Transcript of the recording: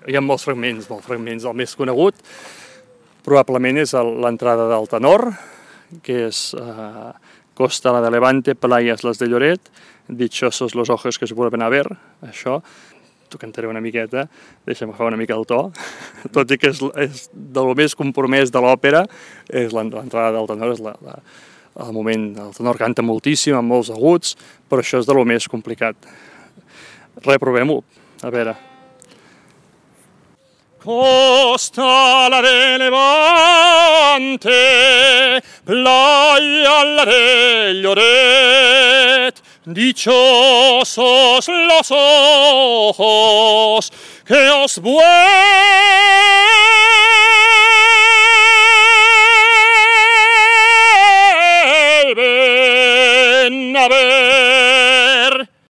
Hi ha molts fragments. El més conegut probablement és l'entrada del tenor, que és Costa la de Levante, playas las de Lloret, dichosos los ojos que se vuelven a ver, això. T'ho cantaré una miqueta, deixa'm agafar una mica el to, tot i que és del més compromès de l'òpera, és l'entrada del tenor, és el moment, el tenor canta moltíssim, amb molts aguts, però això és de lo més complicat. Reprovem-ho, a veure. Costa la de Levante, playa la de Lloret, dichosos los ojos que os vuelven